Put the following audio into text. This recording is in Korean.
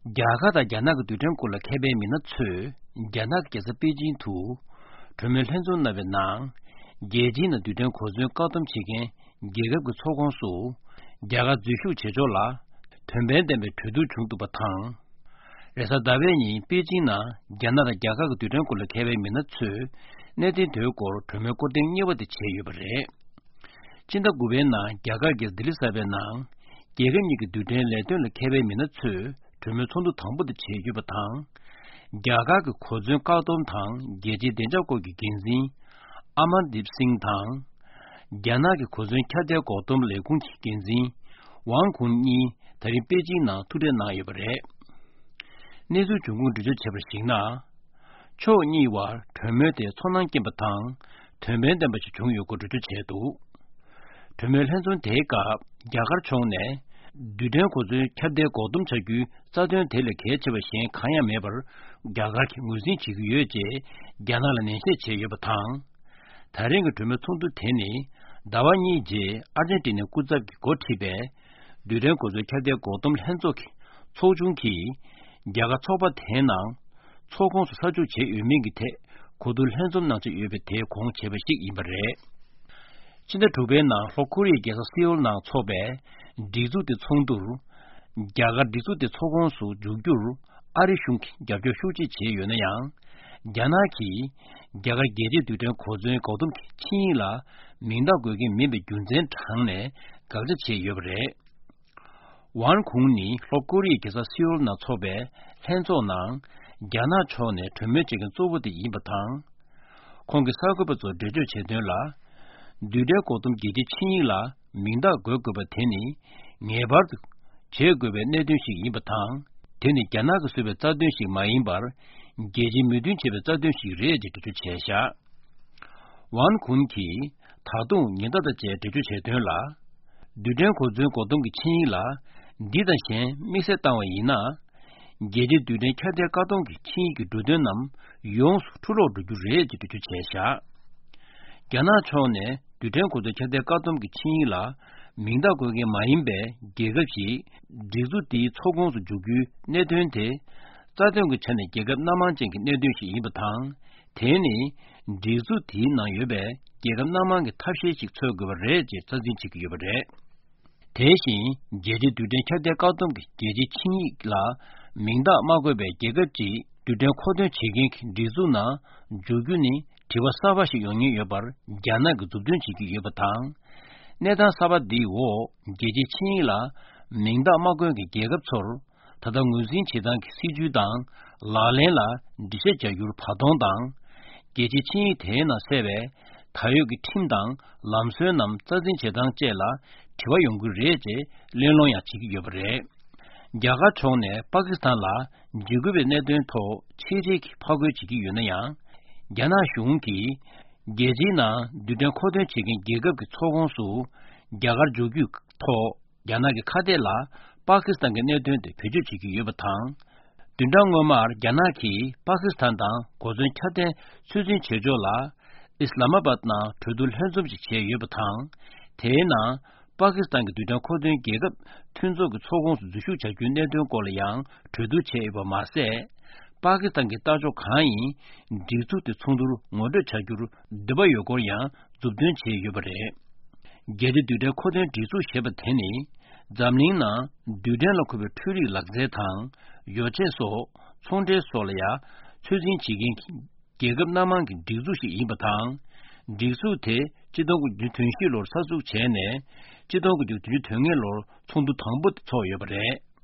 야가다 야나가 두정골라 케베미나 츠 야나께서 베진투 드멜 현존나베나 예진의 두정 고전 까듬치게 예급의 소공수 야가 주휴 제조라 템벤데메 두두 중도 바탕 그래서 다베니 베진나 야나다 야가가 두정골라 케베미나 츠 내디 되고 드멜 고딩 예버데 제유버레 진다 구베나 야가게 들리사베나 예금니그 두정레들 케베미나 츠 드물 손도 당부의 제규바탕 야가그 고전 가동탕 예지 된적고기 긴진 아만딥싱탕 야나게 고전 캬데 고동 레군 긴진 왕군이 다리 빼지나 투레나 예버레 내주 중국 주저 제벌싱나 초니와 드물의 손난게 바탕 드물의 마치 중요고 주저 제도 드물 현존 대가 야가를 총내 두den kozu kyade godum chagu sadön tele kechebe shin khaya mebar gagar ki muzin chiguye je gyanala nense cheye batang daring dume tundu teni dawani je argentina kuzab ki gotibe duden kozu kyade godum henzoki 초중기 야가 초바 대낭 초공수 서주 제 유명기 대 고들 현존나지 유배 대 공체በ식 이버레 진짜 두배나 호쿠리에서 시올나 초배 디주데 총두 야가 디주데 초공수 주규 아리슝 야교 휴지 제연양 야나키 야가 게제 두된 고전 고등 친이라 민다고기 미베 균전 장내 가지 제여버레 완공니 호쿠리에서 시올나 초배 현존나 야나 초내 드메직은 쪼부디 이바탕 공기 사고부터 되죠 제대로라 두데 고tum geji 친이라 민다 고고바 테니 네바르 제고베 내든시 이바탕 테니 야나그 수베 짜든시 마인바르 geji müdün çebe 짜든시 레지 두주 제샤 완군키 타동 닌다다 제 두주 제되라 두데 고준 고동기 친이라 디다신 미세타와 이나 geji 두데 캬데 가동기 친이기 두데남 용수 투로 두주 레지 두주 제샤 야나 초네 두den 고도 캬데 까돔기 친이라 민다고게 마인베 계급시 디주디 초공수 주규 내된데 짜정그 전에 계급 남한쟁기 내된시 이부탕 대니 디주디 나여베 계급 남한게 탑시식 초급을 레지 짜진치기 여버레 대신 제지 두den 캬데 까돔기 제지 친이라 민다 마고베 계급지 두den 코드 지긴 디주나 주규니 디와 사바시 용이 여발 야나 그 두든 지기 여바탕 내다 사바디오 게지 친이라 민다 마고기 계급초를 다다 무진 지당 시주당 라레라 디세자 유르 파동당 게지 친이 대나 세베 타요기 팀당 람스남 짜진 제당 제라 디와 용구 레제 렌롱야 지기 여버레 야가 총내 파키스탄라 지구베 내된토 체제기 파고 지기 유나양 야나 슝기 게지나 두den 코데 지긴 계급 초공수 야가 조규 토 야나게 카데라 파키스탄게 내된데 표주 지기 여바탕 든당어말 야나키 파키스탄당 고전 차데 수진 제조라 이슬라마바드나 두들 현접지 제 여바탕 대나 파키스탄게 두den 코데 계급 튼조그 초공수 주슈 자균 내된 꼴량 두두 제바 마세 파키스탄 게 따조 가이 디주트 총두루 모두 차규루 드바 요고야 줍든 제여버레 게디 두데 코데 디주 셰버테니 잠닝나 두데 로코베 튜리 락제탕 요체소 총제 솔야 최진 지긴 계급 남한 디주시 이바탕 디수테 지도구 유튼시로 사수 제네 지도구 유튼시로 총두 당부 초여버레